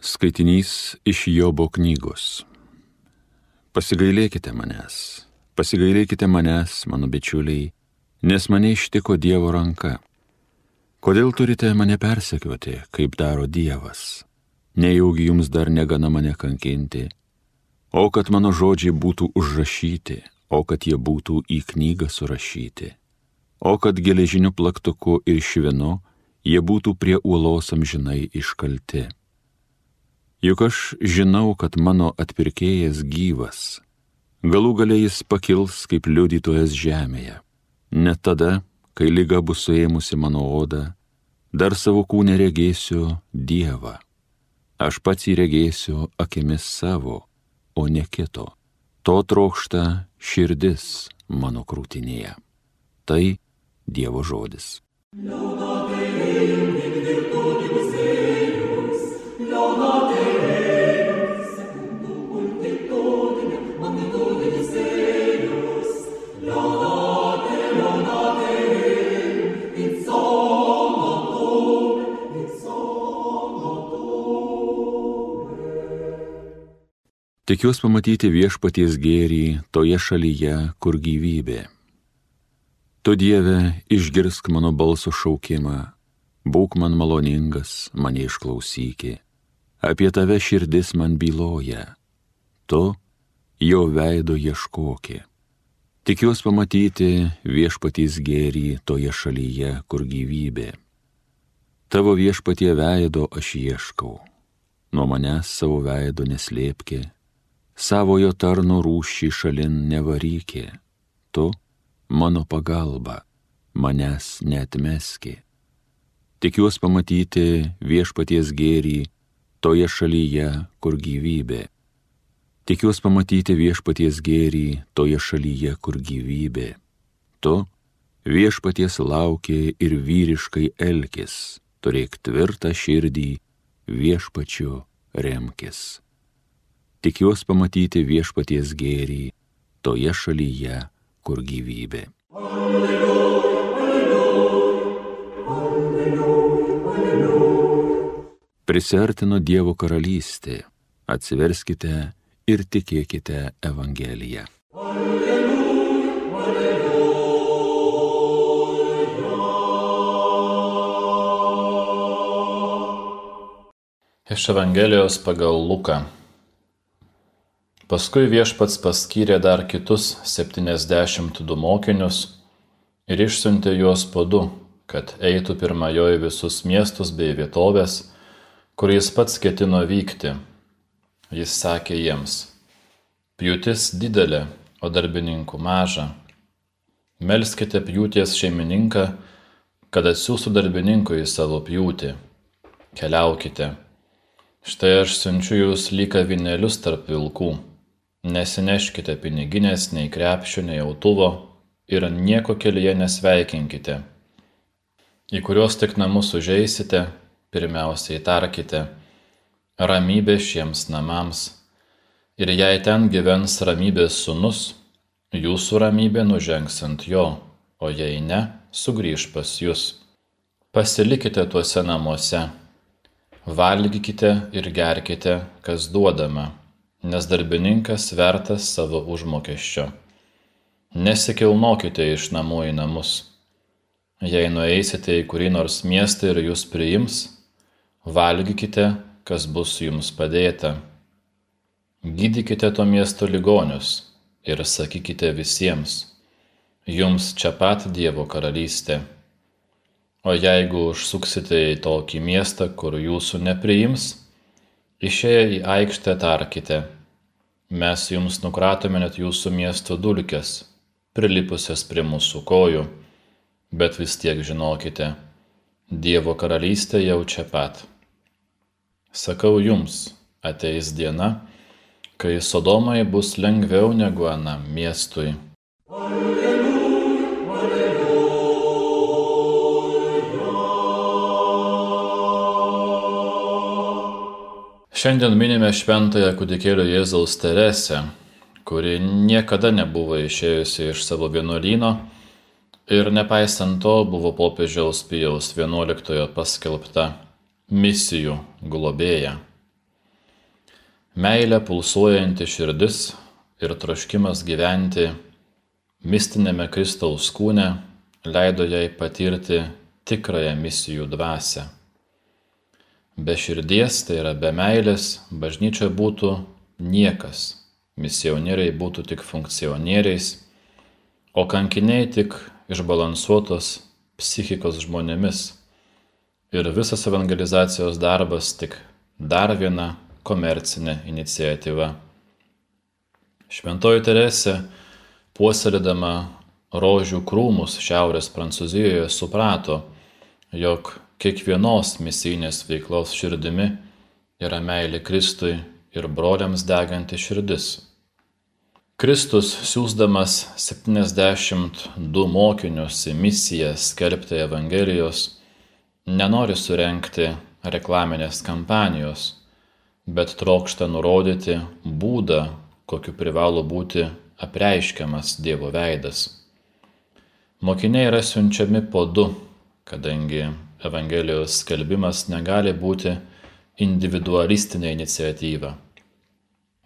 Skaitinys iš Jobo knygos. Pasigailėkite manęs, mano bičiuliai, nes mane ištiko Dievo ranka. Kodėl turite mane persekioti, kaip daro Dievas? Nejaugi jums dar negana mane kankinti? O kad mano žodžiai būtų užrašyti, o kad jie būtų į knygą surašyti, o kad geležiniu plaktuku ir švinu jie būtų prie uolos amžinai iškalti. Juk aš žinau, kad mano atpirkėjas gyvas, galų gale jis pakils kaip liudytojas žemėje. Net tada, kai liga bus suėmusi mano odą, dar savo kūne regėsiu Dievą. Aš pats jį regėsiu akimis savo, o ne kito. To trokšta širdis mano krūtinėje. Tai Dievo žodis. Tikiuos pamatyti viešpaties gėrį toje šalyje, kur gyvybė. Tu, Dieve, išgirsk mano balso šaukimą, būk man maloningas, mane išklausyki. Apie tave širdis man byloja, tu jo veido ieškoki. Tikiuos pamatyti viešpaties gėrį toje šalyje, kur gyvybė. Tavo viešpatie veido aš ieškau, nuo manęs savo veido neslėpki. Savojo tarno rūšį šalin nevarykė, tu, mano pagalba, manęs neatmeski. Tikiuos pamatyti viešpaties gėrį toje šalyje, kur gyvybė. Tikiuos pamatyti viešpaties gėrį toje šalyje, kur gyvybė. Tu, viešpaties lauki ir vyriškai elkis, turėk tvirtą širdį, viešpačiu remkis. Tikiuos pamatyti viešpaties gėrį toje šalyje, kur gyvybė. Alleluja, alleluja, alleluja, alleluja. Prisiartino Dievo karalystė, atsiverskite ir tikėkite Evangeliją. Alleluja, alleluja. Iš Evangelijos pagal Luką. Paskui viešpats paskyrė dar kitus 72 mokinius ir išsiuntė juos po 2, kad eitų pirma jo į visus miestus bei vietovės, kur jis pats ketino vykti. Jis sakė jiems: pjūtis didelė, o darbininkų maža. Melskite pjūties šeimininką, kad atsiųstų darbininkų į savo pjūtį. Keliaukite. Štai aš siunčiu jūs lyg avinėlius tarp vilkų. Nesineškite piniginės, nei krepšio, nei autuvo ir nieko kelyje nesveikinkite. Į kuriuos tik namus užeisite, pirmiausiai tarkite: ramybė šiems namams. Ir jei ten gyvens ramybės sūnus, jūsų ramybė nužengs ant jo, o jei ne, sugrįš pas jus. Pasilikite tuose namuose, valgykite ir gerkite, kas duodama, nes darbininkas vertas savo užmokesčio. Nesikilnokite iš namų į namus. Jei nueisite į kurį nors miestą ir jūs priims, valgykite, kas bus jums padėta. Gydykite to miesto ligonius ir sakykite visiems: jums čia pat Dievo karalystė. O jeigu užsuksite į tokį miestą, kur jūsų nepriims, išėję į aikštę tarkite: mes jums nukratome net jūsų miesto dulkes, prilipusias prie mūsų kojų, bet vis tiek žinokite, Dievo karalystė jau čia pat. Sakau jums, ateis diena, kai Sodomai bus lengviau negu anam miestui. Šiandien minime šventąją kūdikėlio Jėzaus Teresę, kuri niekada nebuvo išėjusi iš savo vienuolyno ir nepaisant to buvo popiežiaus Pijaus XI paskelbta misijų globėja. Meilė pulsuojanti širdis ir troškimas gyventi mistinėme Kristaus kūne leido jai patirti tikrąją misijų dvasią. Be širdies, tai yra be meilės, bažnyčia būtų niekas, misionieriai būtų tik funkcionieriais, o kankiniai tik išbalansuotos psichikos žmonėmis ir visas evangelizacijos darbas tik dar viena komercinė iniciatyva. Šventoji Teresė, puoselėdama rožių krūmus šiaurės Prancūzijoje, suprato, jog kiekvienos misijinės veiklos širdimi yra meilė Kristui ir broliams deganti širdis. Kristus, siųsdamas 72 mokinius į misiją skelbti Evangelijos, nenori surenkti reklaminės kampanijos, bet trokšta nurodyti būdą, kokiu privalo būti apreiškiamas Dievo veidas. Mokiniai yra siunčiami po du, kadangi Evangelijos skelbimas negali būti individualistinė iniciatyva.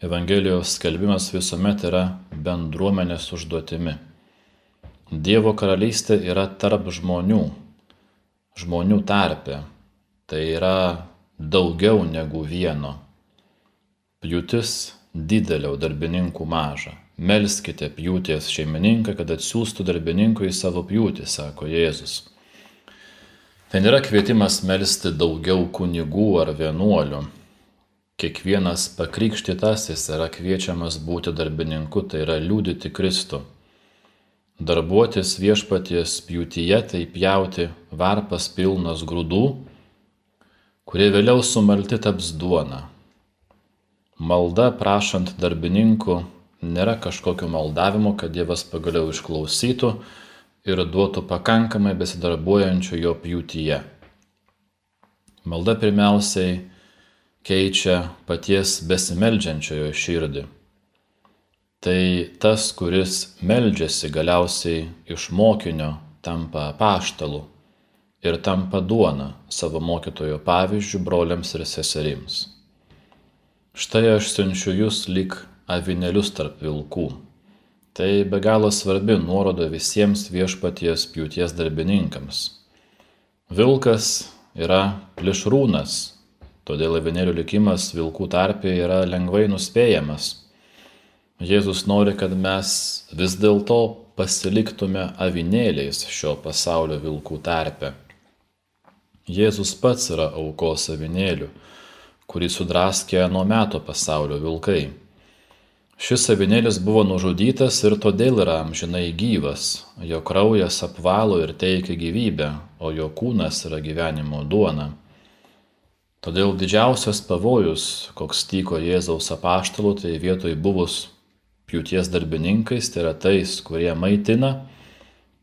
Evangelijos skelbimas visuomet yra bendruomenės užduotimi. Dievo karalystė yra tarp žmonių, žmonių tarpe. Tai yra daugiau negu vieno. Pjūtis didelė, o darbininkų maža. Melskite pjūties šeimininką, kad atsiųstų darbininkų į savo pjūtį, sako Jėzus. Tai nėra kvietimas melsti daugiau kunigų ar vienuolių. Kiekvienas pakrikštytasis yra kviečiamas būti darbininku, tai yra liudyti Kristų. Darbuotis viešpaties pjūtyje, tai pjauti varpas pilnas grūdų, kurie vėliau sumalti taps duona. Malda prašant darbininkų nėra kažkokio maldavimo, kad Dievas pagaliau išklausytų ir duotų pakankamai besidarbuojančių jo pjūtyje. Malda pirmiausiai keičia paties besimeldžiančiojo širdį. Tai tas, kuris meldžiasi, galiausiai iš mokinio tampa apaštalu ir tampa duona savo mokytojo pavyzdžių broliams ir seserims. Štai aš siunčiu jūs lyg avinėlius tarp vilkų. Tai be galo svarbi nuoroda visiems viešpaties pjūties darbininkams. Vilkas yra plėšrūnas, todėl avinėlių likimas vilkų tarpe yra lengvai nuspėjamas. Jėzus nori, kad mes vis dėlto pasiliktume avinėliais šio pasaulio vilkų tarpe. Jėzus pats yra aukos avinėlių, kurį sudraskė ano meto pasaulio vilkai. Šis avinėlis buvo nužudytas ir todėl yra amžinai gyvas. Jo kraujas apvalo ir teikia gyvybę, o jo kūnas yra gyvenimo duona. Todėl didžiausias pavojus, koks tyko Jėzaus apaštalų, tai vietoj buvus pjūties darbininkais, tai yra tais, kurie maitina,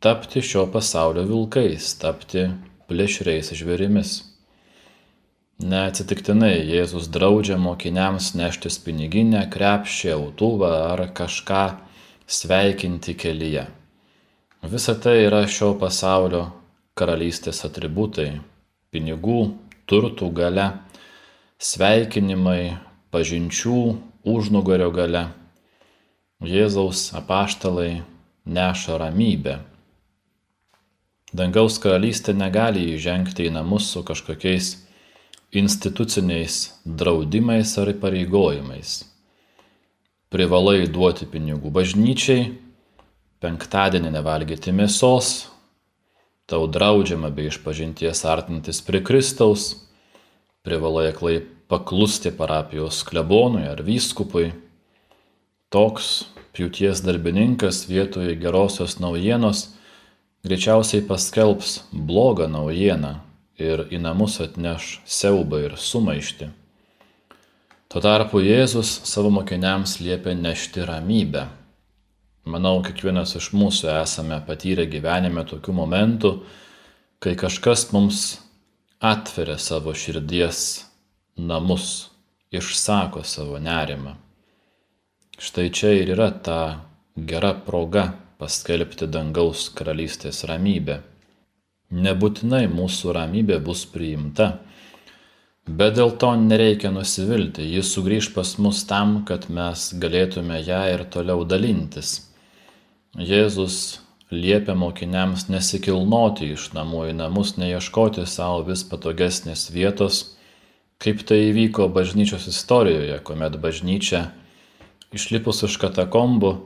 tapti šio pasaulio vilkais, tapti plėšriais žvėrimis. Neatsitiktinai Jėzus draudžia mokiniams neštis piniginę, krepšį, autuvą ar kažką sveikinti kelyje. Visa tai yra šio pasaulio karalystės atributai – pinigų, turtų galia, sveikinimai, pažinčių, užnugario galia. Jėzaus apaštalai neša ramybę. Dangaus karalystė negali įžengti į namus su kažkokiais instituciniais draudimais ar įpareigojimais. Privalai duoti pinigų bažnyčiai, penktadienį nevalgyti mėsos, tau draudžiama be išpažinties artintis prie Kristaus, privalai aklai paklusti parapijos klebonui ar vyskupui. Toks pjūties darbininkas vietoje gerosios naujienos greičiausiai paskelbs blogą naujieną ir į namus atneš siaubą ir sumaištį. Tuo tarpu Jėzus savo mokiniams liepia nešti ramybę. Manau, kiekvienas iš mūsų esame patyrę gyvenime tokių momentų, kai kažkas mums atveria savo širdies namus, išsako savo nerimą. Štai čia ir yra ta gera proga paskelbti dangaus karalystės ramybę. Nebūtinai mūsų ramybė bus priimta, Bet dėl to nereikia nusivilti, ji sugrįž pas mus tam, kad mes galėtume ją ir toliau dalintis. Jėzus liepia mokiniams nesikilnoti iš namų į namus, neieškoti savo vis patogesnės vietos, kaip tai įvyko bažnyčios istorijoje, kuomet bažnyčia, išlipus iš katakombų,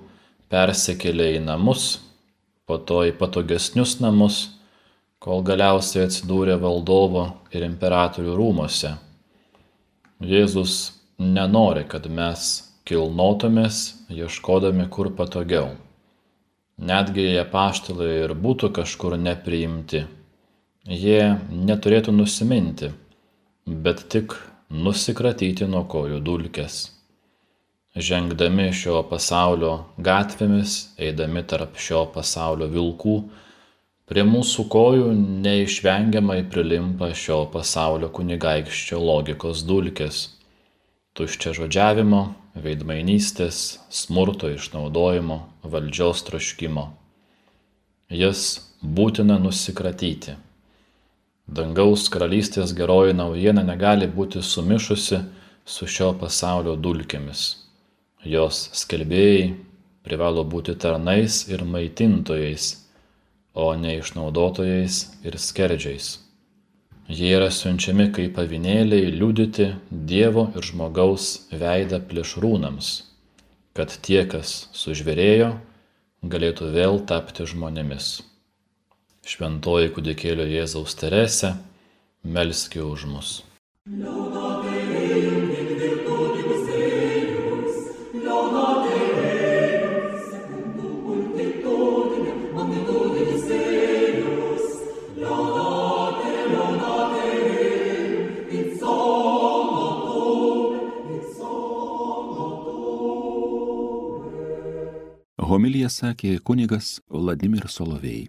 persikėlė į namus, po to į patogesnius namus, kol galiausiai atsidūrė valdovo ir imperatorių rūmose. Jėzus nenori, kad mes kilnotumės, ieškodami kur patogiau. Netgi jei apaštalai ir būtų kažkur nepriimti, jie neturėtų nusiminti, bet tik nusikratyti nuo kojų dulkes. Žengdami šio pasaulio gatvėmis, eidami tarp šio pasaulio vilkų, prie mūsų kojų neišvengiamai prilimpa šio pasaulio kunigaikščio logikos dulkės, tuščiažodžiavimo, veidmainystės, smurto išnaudojimo, valdžios troškimo. Jas būtina nusikratyti. Dangaus karalystės geroji naujiena negali būti sumišusi su šio pasaulio dulkėmis. Jos skelbėjai privalo būti tarnais ir maitintojais, o ne išnaudotojais ir skerdžiais. Jie yra siunčiami kaip avinėliai liudyti Dievo ir žmogaus veidą plėšrūnams, kad tie, kas sužvėrėjo, galėtų vėl tapti žmonėmis. Šventoji kūdikėlio Jėzaus Teresė, melski už mus. Homiliją sakė kunigas Vladimir Solovej.